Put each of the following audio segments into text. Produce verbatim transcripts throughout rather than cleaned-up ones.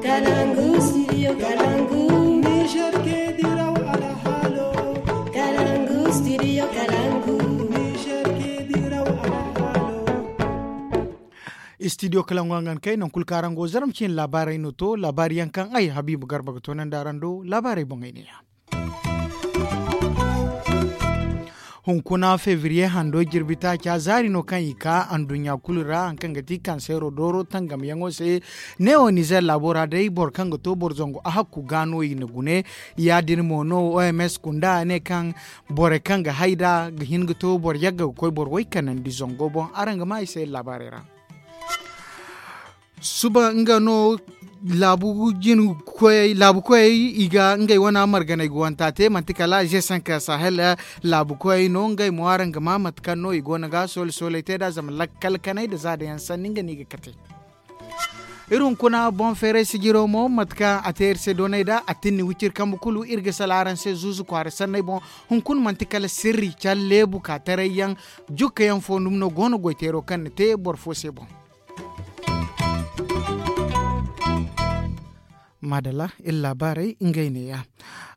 Kalangu studio kalangu. Niger ke diraw alhalo. Kalangu studio kalangu. Niger ke diraw alhalo. Studio kalangu hangan kay non kul karango zaram cin labarai no to labari yankan ai habibu garba ga tonan darando labarai bongai ne ya. Hunkuna fevriye hando jirbi taaca zaari no kaŋ i ka anduɲɲa kulu ra haŋ kaŋ ga ti kansero dooro tangamyaŋo se. Neewo nizer laabo ra day boro kaŋ ga to boro zangu a hakku ga no i na gune. Ya- din mo no oms kunda ne kaŋ borey kaŋ ga hay nd'a ga hin ga to boro yagga ga koy boro way kanandi zango boŋ araŋ ga ma i se laabaarey ra. Suba nga no laabu jin koyey laabu koyey i ga ngey wane marganey ga wanta te manti kala g cinq sahel laabu koyey no ngey mo araŋ ga ma mate kaŋ no i go no ga soole sooley te nd'a zama lakkal kanay nda za dayaŋ sanni nga no i ga kate. Iri hunkuna boŋ feeray sijiro mo mate kaŋ a te iri se doonay nd'a a tinni wiciri kambe kulu iri ga sala araŋ se zuuzu kwaara sanney boŋ. Hunkuna manti kala sirri care leebu ka taray yaŋ jukka yaŋ fo dumi no go no goy teero kaŋ na te boro fo se boŋ. Maadalla iri laabaarey ngey neeya.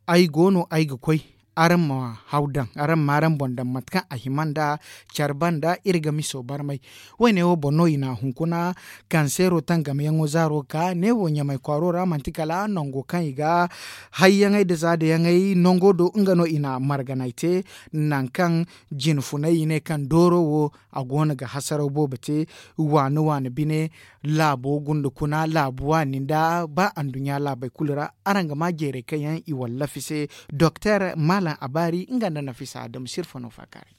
Ay go no ay ga koy araŋ ma haw daŋ araŋ ma araŋ boŋ daŋ mate kaŋ a hima nda care banda iri ga miso barmay. Woyne wo boŋ no i na a hunkuna kanseero tangamayaŋo zaaro ka neewo ɲamay kwaaro ra manti kala nango kaŋ i ga hayyaŋey nda zaadayaŋey nango do nga no i na marganay te. Nangu kaŋ jine funay i ne kaŋ dooro wo a go no ga hasaraw boobo te. Waani waani bine laabo gunda kuna laabu waani nda ba anduɲɲa laabey kulu ra. Araŋ ga ma jeerey kaŋ yaŋ i wallafi se doktor maalaŋ abaari nga nda nafisa adamu sirfa no faakaaray.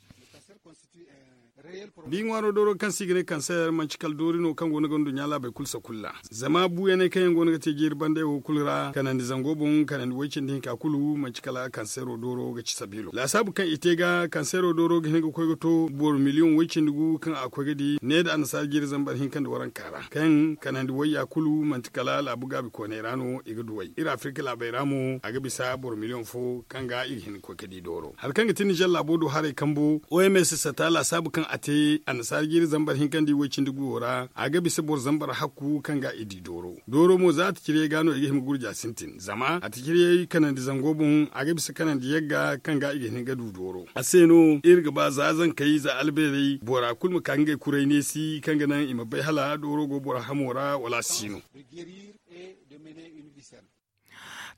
Da i ŋwaaro dooro kaŋ se i ga ne kanseer manci kala doori no kaŋ go no ga nduɲɲa laabey kulu sakulla. Zama buuyaney kaŋ yaŋ go no ga te jeeri bandey wo kulu ra kanandi zango boŋ kanandi woy cindi hinka kulu manci kala kanseero dooro ga ci sabiilo laasaabu kaŋ i te ga kanseero dooro ga hin ga koy ga to boro miliyoŋ woy cindi gu kaŋ a ga koy ga di ne nda annasaara jeeri zambar hinka nda waranka ra kaŋ kanandi wayya kulu manti kala laabu gaabi kooney ra no i ga duw'ey iri afirka laabey ra mo a ga bisa boro miliyoŋ fo kaŋ ga i ga hin ga koy ga di dooro hari kaŋ ga ti nizer laabo do haray kambo oms sata laasaabu kaŋ a te annasaara jeeri zambar hinka nda i woy cindi gu wo ra a ga bisa boro zambar hakku kaŋ ga i di dooro. Dooro mo za a ti cire ga no i ga hima gurja sintin zama a ti cire kanandi zango boŋ a ga bisa kanandi yagga kaŋ ga i ga hin ga du dooro a se no iri ga ba za zankey za albeerey bora kulu ma ka ngey kuray neesi kaŋ ga naŋ i ma bay hala dooro go bora hamo ra wala a si no.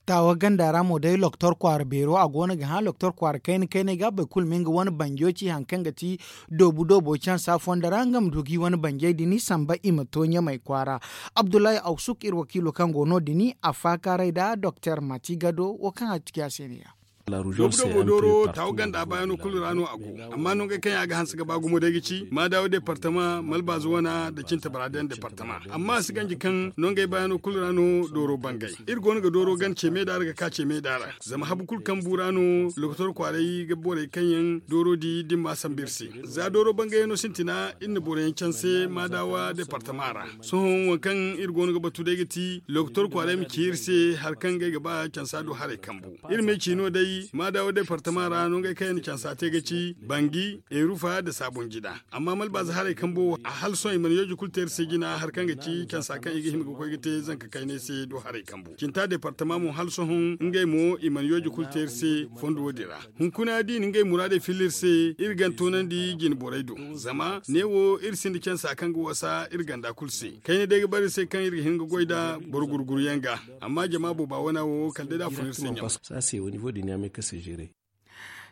Taawa ganda ra mo day loktor kwaara beero a go no ga hã loktor kwaara kayna kayney ga boro kulu ma nga wane banjo ci hari kaŋ ga ti doobu doobo cansa fondo ra nga ma du ga i wane banjey din samba i ma to ɲamey kwaara. Abdullahi awsuk iri wakiilo kaŋ go no din a faakaaray nda doktor mati gado wo kaŋ a ci a se ne ya. Doobu doobo dooro taawa ganda baayano kulu ra no a go. Amma nongey kaŋ yaŋ a ga hanse ga ba gumo day ga ci maadawa departama malbaazu wana nda cinta baraadiyaŋ departama. Amma a si ganji kaŋ nongey baayano kulu ra no dooro bangay. Iri go no ga dooro gana ce meeda ra ga ka ce meeda ra zama habu kulu kambu ra no lokotor kwaaray ga borey kaŋ yaŋ dooro di da ni ma a sambu iri se. Za dooro bangayano sintina iri na boro yaŋ canse maadawa departama ra. Sohõ waŋ kaŋ iri go no ga batu day ga ti lokotor kwaaray ma ci iri se hari kaŋ ngey ga ba cansa do haray kambu. Iri m'ay ci no day maadawa departama ra no ngey kaŋ yaŋ na cansa te ga ci bangi erufa nda saabun jida. Amma malbaaza haray kambo wo a hala sohõ i mana yooji kulu te iri se jina hari kaŋ ga ci cansa kaŋ i ga hima ga koy ga te zanka kaynay se do haray kambu cinta departama mo hala sohõ ngey mo i mana yooji kulu te iri se fondo wo din ra. Hunkuna da i na ngey muraadey filla iri se iri gan toonandi jine borey do. Zama neewo iri sinda cansa kaŋ ga wasa iri ganda kulu se kayna day ga bara iri se kaŋ iri ga hin ga goy nda boro gurguruyaŋ ga. Amma jama booba wana wo kala day da a fun iri se ɲama.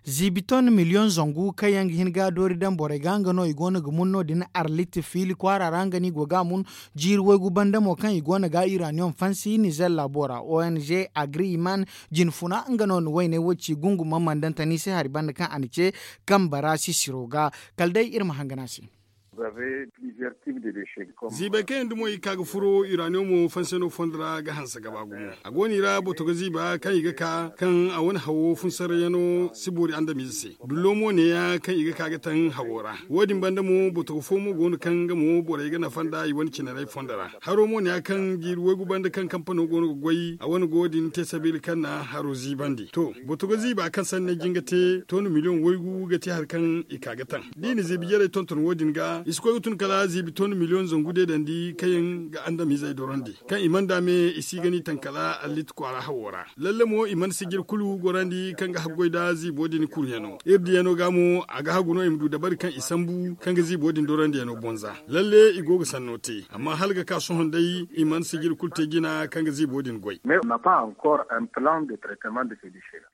Ziibi ton miliyoŋ zangu kaŋ yaŋ ga hin ga doori daŋ borey ga nga no i go no ga mun no- din arlit fiili kwaara ra nga no i go ga a mun. Jiiri waygu banda mo kaŋ i go no ga iraniyoŋ fansi nizer laabo ra ong agri iman jine funa nga no na wayney wo ci gungu mamandantani se hari banda kaŋ a na ce kamba ra sisiro ga. Kala day iri ma hangan a se. Ziibay kaŋ yaŋ dumo i ga ka ga furo iraniyoŋo fanseno fondo ra ga hanse gaba gumo. A go no i ra botogo ziiba kaŋ i ga ka kaŋ a wane hawo funsarayano si boori andamize se. Dullo mo neeya kaŋ i ga ka ga taŋ hawo ra. Wo- din banda mo botogo fo mo go no kaŋ nga mo borey ga nafa nda i wane cinarey fondo ra. Haro mo neeya kaŋ jiiri waygu banda kaŋ kampano go no ga goy a wane go din te sabiila kaŋ na haro ziibandi to. Botogo ziiba kaŋ sanni jin ga te toona miliyoŋ waygu ga te hari kaŋ i ka ga taŋ da i na ziibi jarey tonton wo- din ga. I si koy ga tun kala ziibi ton miliyoŋ zangu deedandi kaŋ yaŋ ga andamizey dorandi kaŋ i mana daame i si ga ni tankala allit kwaara hawo ra. Lalle mo i mana sijir kulu gorandi kaŋ ga haggoy nda ziibo din kuryaŋo iri diyano ga mo a ga hagu no i ma du dabari kaŋ i sambu kaŋ ga ziibo din dorandiyano bonza. Lalle i go ga sanno te amma hala ga ka sohõ day i mana sijir kulu te jina kaŋ ga ziibo din goy. Mais on n'a pas encore un plan de traitement de ces déchets là.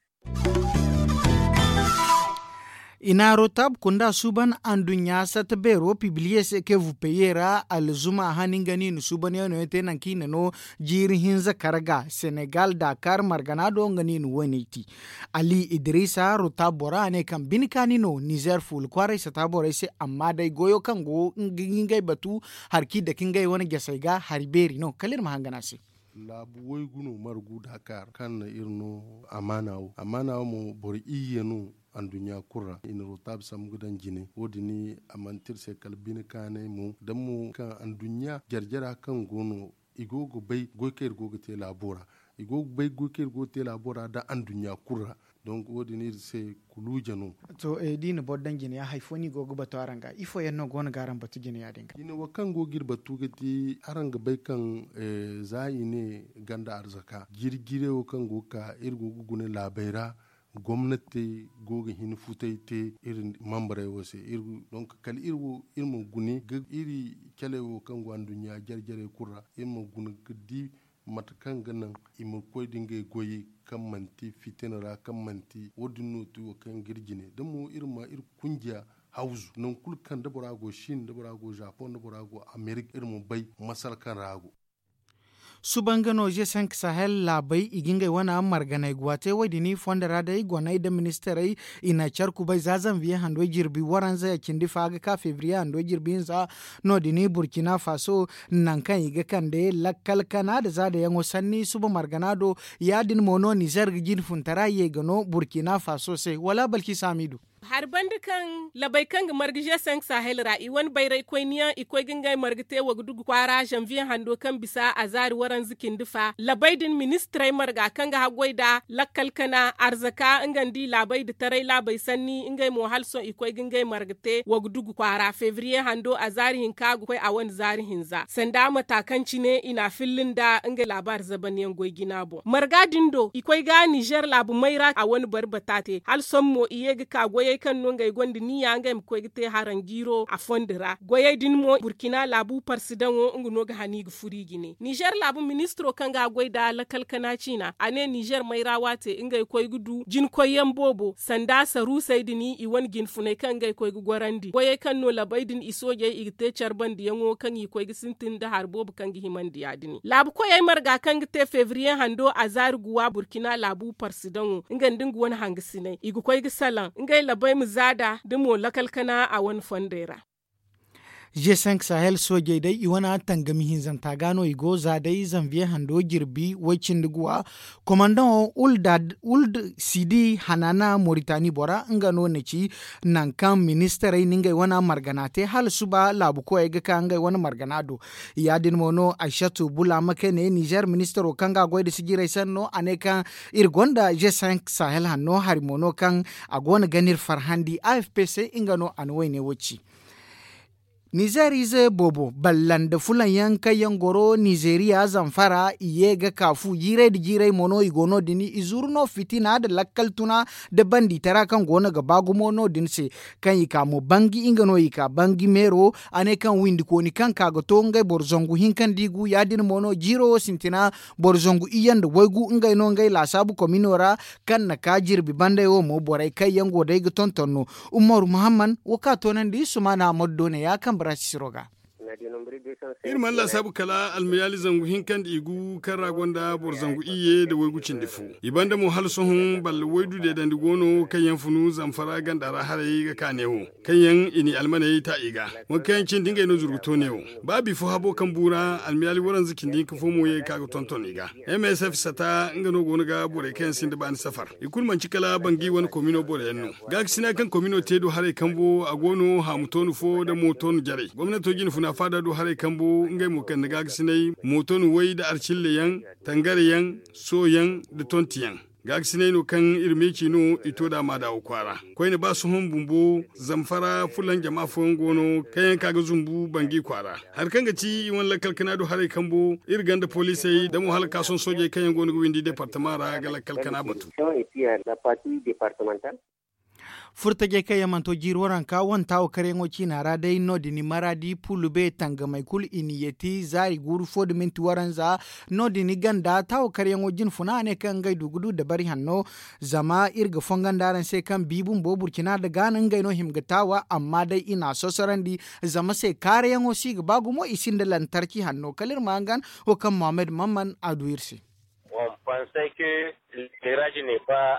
I na rotab kunda suuban anduɲɲa satta beero pibiliye se ke vupeye ra alzuma hani nga ni na suuban yaŋ no yaŋ te nanka i na no jiiri hinza kar ga senegal dakar margana do nga ni na woyne ti. Ali idrisa rotab bora a ne kaŋ bine kaani no nizer fuula kwaaray sata borey se amma day goyo kaŋ go ngey batu hari kaŋ i dake ngey wane jasey ga hari beeri no kala iri ma hangan a se. Laabu waygu no margu dakar kaŋ na iri no amaana wo amaana wo mo boro iyye no. Anduɲɲa kulu ra i na rotaaba sambu ga daŋ jine wo- din a manti iri se kala bine kaanay mo da mo kaŋ anduɲɲa jare-jara kaŋ go no i go ga bay goy kaŋ iri go ga te laabo ra. I go ga bay goy kaŋ iri go ga te laabo ra nda anduɲɲa kulu ra. Donk wo- din iri se kuluuja no. To da i na boro daŋ jine yaŋ hari fo no i go ga batu araŋ ga ifo yaŋ no go no ga araŋ batu jine ya- din ga? Jine wo kaŋ go ga iri batu ga ti araŋ ga bay kaŋ za i ne ganda arzaka jiri jiray wo kaŋ go ga ka iri go ga guna laabey ra. Gomnati go ga hin futay te iri mambarey wo se. Donk kala iri wo iri ma guna ga iri caley wo kaŋ go anduɲɲa jare-jarey kulu ra iri ma guna ga di mate kaŋ ga naŋ i ma koy da ngey goyey kaŋ manti fitina ra kaŋ manti wo- din no ti wo kaŋ ga iri jine da mo iri ma iri kunjiya hawzu nangu kulu kaŋ da bora go sin da bora go japoŋ da bora go amerik iri ma bay masala kaŋ ra a go. Suba nga no ze cinq sahel laabey i ga ngey wane marganey guwa te wo- din fondo ra day goney nda ministarey i na care kubay za zanviye hando jirbi waranza cindi fa ga ka febriye hando jirbi hinza. No- din burkina faso nangu kaŋ i ga kande lakkal kana nda zaadayaŋo sanni suba margana do. Ya- din mo no nizer ga jine funtara ye ga no burkina faso se wala balki saamidu. Hari banda kaŋ labey kaŋ ga marga ze cinq sahel ra i wane bayraykoyniyaŋ i koy ga ngey marga te wagdugu kwaara zanviye hando kaŋ bisa a zaari waranza cindi fa labey din ministirey marga kaŋ ga haggoy nda lakkal kana arzaka nga nda i laabey nda taray laabey sanni ngey mo hala sohõ i koy ga ngey marga te wagdugu kwaara febriye hando a zaari hinka ga koy a wane zaari hinza sanda mata kaŋ cine i na a filla nda ngey laabaari zabanyaŋ goy jina boŋ marga din do i koy ga nizer laabu mayra a wane bari bata te hala sohõ mo i ye ga ka goyey kaŋ no ngey gonda niya ngey ma koy ga te haranjiiro a fondo ra goyey din mo burkina laabu parsidaŋo nga no ga hani ga furu i jine nizer laabu ministiro kaŋ ga a goy nda lakal kana ciina a ne nizer mayra waate ngey koy ga du jinkoyyaŋ boobo sanda saruusey din i wane jinfuney kaŋ ngey koy ga gorandi goyey kaŋ no labey din i soojey i ga te care bandiyaŋo kaŋ i koy ga sintin nda hari boobo kaŋ ga himandi ya- din laabu koyey marga kaŋ ga te febriye hando a zaari guwa burkina laabu parsidaŋo nga nda nga wane hangasiney i ga koy ga salaŋ ngey labey ma zaada da mo lakal kana a wane fondey ra. Ze cinq sahel soojey day i wane tangami hinzanta ga no i go za day zanviye hando jirbi way- cindi guwa komandaŋo uld sidi hanana moritani bora nga no na ci nangu kaŋ ministarey na ngey wane margana te hala suba laabu koyey ga ka ngey wane margana do. Ya- din mo no aysatu bula ma kay ne nizer ministaro kaŋ ga a goy nda sijirey sanno a ne kaŋ iri gonda ze cinq sahel hanno hari mo no kaŋ a go no ga no iri farhandi afp se nga no a na wayne wo ci. Nizer ize boobo balla nda fulaŋ yaŋ kaŋ yaŋ goro nizeriya zamfara i ye ga ka fu jiiray nda jiiray mo no i go no- din i zuru no fitina nda lakkal tuna nda banditara kaŋ go no ga ba gumo no- din se. Kaŋ i ka mo bangi nga no i ka bangi meero a ne kaŋ windikooni kaŋ ka ga to ngey boro zangu hinka nda i gu ya- din mo no jiiro wo sintina boro zangu iyye nda waygu ngey no ngey laasaabu komino ra. Kaŋ na ka jirbi bandey wo mo borey kaŋ yaŋ go day ga tonton no. Umaru muhammad wo kaŋ a toonandi sumaana ammadu do ne ya kambe ra sisiro ga. Iri mana laasaabu kala almayaali zangu hinka nda i gu kaŋ ra gonda boro zangu iyye nda waygu cindi fo. I banda mo hala sohõ balla waydu deedandi go no kaŋ yaŋ funu zamfara ganda ra haray ga ka neewo kaŋ yaŋ i n'i almaney ta i ga. Waŋ kaŋ yaŋ cindi ngey no zuru ga to neewo ba bifo habo kaŋ bu ra almayaali waranza cindi hinka fo mo ye ga ka ga tonton i ga. Msf sata nga no go no ga borey kaŋ yaŋ sinda baani safar i kulu manci kala bangi wane komino boro yaŋ no. Gaakasina kaŋ komino te do haray kambo a go no haamu toonu fo nda mo toonu jarey gomnato jinfuna faada do haray kambo ngey mo kande gaakasinay mo toonu way nda arcille yaŋ, tangare yaŋ, soo yaŋ, nda tonti yaŋ. Gaakasinay no kaŋ iri meeci no i to da maadaawo kwaara. Koyne ba sohõ bumbo zamfara fulan jama fooyaŋ go no kaŋ yaŋ ka ga zumbu bangi kwaara. Hari kaŋ ga ti i wane lakkal kana do haray kambo, iri ganda poliisey damo hala kaason soojey kaŋ yaŋ go no ga windi departama ra ga lakkal kana batu. Furtajey kaŋ yaŋ mana to jiiri waranka wane taawo karyaŋo ciina ra day no- din maraadi pulube tangamey kulu i na yeeti zaari guuru fo nda minti waranza. No- din ganda taawo karyaŋo jinfuna a ne kaŋ ngey du ga du dabari hanno. Zama iri ga fongo nda araŋ se kaŋ bi bumbo burcina nda gaana ngey no hima ga taawa amma day i na a sosorandi. Zama se kaarayaŋo si ga ba gumo i sinda lantarki hanno kala iri ma hangan wo kaŋ mohammed mamman a du iri se.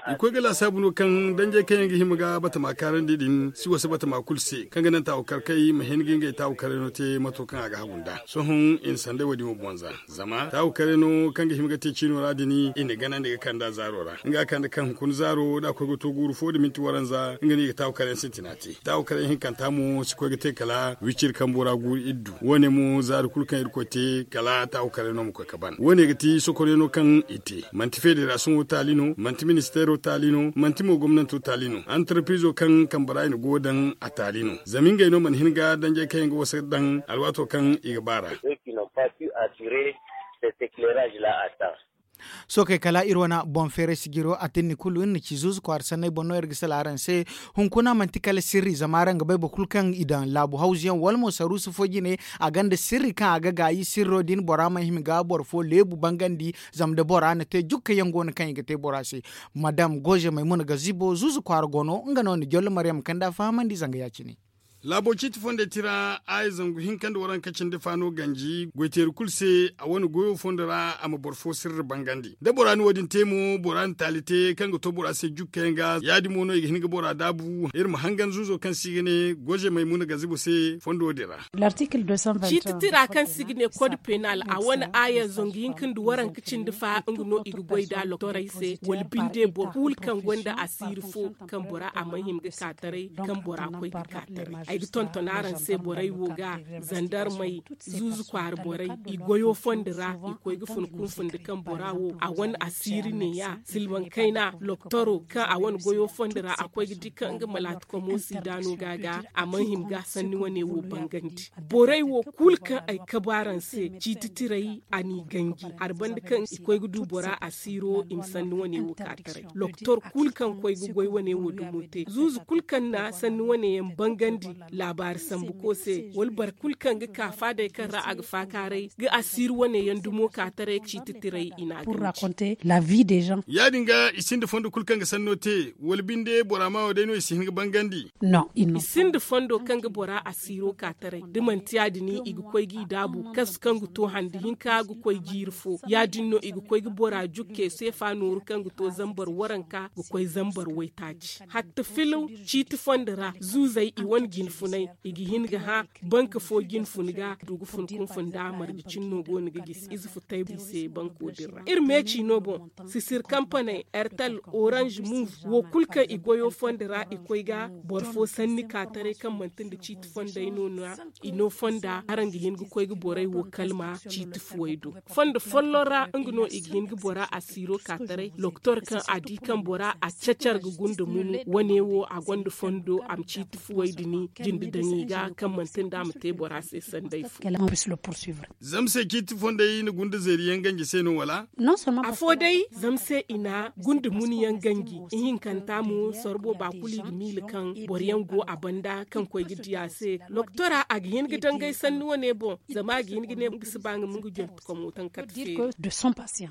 I koy ga laasaabu no kaŋ danjey kaŋ yaŋ ga hima ga batama kaarandi din si wasa batama kulu se kaŋ ga naŋ taawu karkey ma hin ga ngey taawu karay no te mato kaŋ a ga hagu nda sohõ i na sanday wo- din wo boŋ za. Zama taawu karay no kaŋ ga hima ga te ciino ra din i na ganandi ga kand'a zaaro ra nga kande kaŋ hunkuna zaaro da a koy ga to guuru fo nda minti waranza nga no i ga taawu karay yaŋ sintina te. Taawu karay yaŋ hinkanta mo si koy ga te kala wiciri kambo ra guuru iri du wo- ne mo zaari kulu kaŋ iri koy te kala taawu karay no ma koy ga ban wo- ne ga ti sokoryaŋo kaŋ i te. Manti federasiyoŋo taali no manti ministeero taali no manti mo gomnanto taali no antarpiizo kaŋ kambe ra i na go daŋ a taali no. Zama ngey no mana hin ga danjey kaŋ yaŋ ga wasa daŋ alwaato kaŋ i ga ba ra. Sookey kala iri wane boŋ feeray sijiro a tinni kulu iri na ci zuuzu kwaara sanney boŋ no iri ga sala araŋ se. Hunkuna manti kala sirri zama araŋ ga bay boro kulu kaŋ i daŋ laabu hawzu yaŋ wala mo saruusu fo jine a gonda sirri kaŋ a ga gaayi sirro din bora mana hima ga boro fo leebu bangandi. Zama da bora na te jukka yaŋ go no kaŋ i ga te bora se. Madam goze maymuna gazibo zuuzu kwaara go no nga no na jollo maryam kanda fahamandi zanga ya- cine. Laabo ciiti fondey tira aya zangu hinka nda waranka cindi faano ganji goyteeri kulu se a wane goyo fondo ra a ma boro fo sirri bangandi da bora na wo- din te mo bora na taali te kaŋ ga to bora se jukka yaŋ ga ya- din mo no i ga hin ga bora daabu iri ma hangan zuuzo kaŋ se i ga ne goze maymuna gazibo se fondo din ra. Ciiti tira kaŋ se i ga ne kod penal a wane aya zangu hinka nda waranka cindi fa nga no i ga goy nd'a loktorey se wala binde boro kulu kaŋ gonda asiiri fo kaŋ bora a mana hima ga ka taray kaŋ bora koy ga ka taray. Ay ga tonton araŋ se borey wo ga zandarmey zuuzu kwaara borey i goyo fondo ra i koy ga fun kunfun nda kaŋ bora wo a wane asiiri neeya silmaŋ kayna loktoro kaŋ a wane goyo fondo ra a koy ga di kaŋ nga malaati komo siida no ga ga a mana hima ga sanni wane wo bangandi. Borey wo kulu kaŋ ay kabu araŋ se ciiti tiray a n'i ganji hari banda kaŋ i koy ga du bora asiiro i ma sanni wane wo ka taray. Loktor kulu kaŋ koy ga goy wane wo dumo te zuuzu kulu kaŋ na sanni wane yaŋ bangandi laabaari sambu ko se wala boro kulu kaŋ ga ka faadey kaŋ ra a ga faakaaray ga asiiri wane yaŋ dumo ka taray ciiti tiray i n'a ganji. Ya- din ga i sinda fondo kulu kaŋ ga sanno te wala binde bora ma wo day no i si hin ga bangandi. I sinda fondo kaŋ ga bora asiiro ka taray da manti ya- din i ga koy g'i daabu kasu kaŋ ga to handi hinka ga koy jiiri fo ya- din no i ga koy ga bora jukke seefa nooru kaŋ ga to zambar waranka ga koy zambar waytaaci hatta filaw ciiti fondo ra zuuzey i wane jinfunay i ga hin ga hã banka fo jinfun ga du ga fun kunfun nda marje cinno go no ga gisi ize futay i se banko din ra iri meeci no boŋ sisir kampaney ertel orange move wo kulu kaŋ i goyo fondo ra i koy ga boro fo sanni ka taray kaŋ manti nda ciiti fondey no no ra i no fonda araŋ ga hin ga koy ga borey wo kalma ciiti fuwey do. Fondo folloŋ ra nga no i ga hin ga bora asiiro ka taray loktor kaŋ a di kaŋ bora a cacar ga gunda munu wane wo a gonda fondo a ma ciiti fuwey din jinde daŋ i ga kaŋ manti nda a ma te bora se sanday fo. Zama se ciiti fondey na gunda zeeri yaŋ ganji se no wala? Afo day zama se i na gunda munu yaŋ ganji ihinkanta mo sorbo ba kulu i ga miila kaŋ boro yaŋ go a banda kaŋ koy ga di a se loktora a ga hin ga dangay sanni wane boŋ zama a ga hin ga ne nga si ba nga ma nga jonti komo taŋ kate feeri.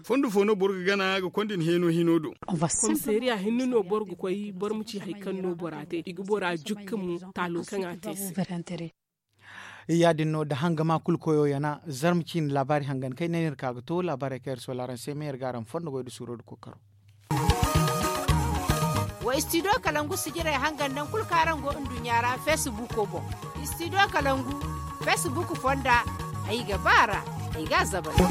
Fondo fo no boro ga gana ga konda ni heeno hino do? Komisariya hinne no boro ga koy boro ma ci hari kaŋ no bora te i ga bora jukka mo taalo kaŋ a te se. Ya- din no da hangama kulu koyo yana zarma ciine laabaari hangan kay ne no iri ka ga to laabaarey kaŋ iri sola araŋ se me iri ga araŋ fondo goy da suuro da kookaro. Wa istidiyo kalangu sijirey hangan naŋ kulu kaŋ araŋ go nduɲɲa ra feesibuuko boŋ. Istidiyo kalangu feesibuuk fonda ay ga ba ra ay ga a zabari.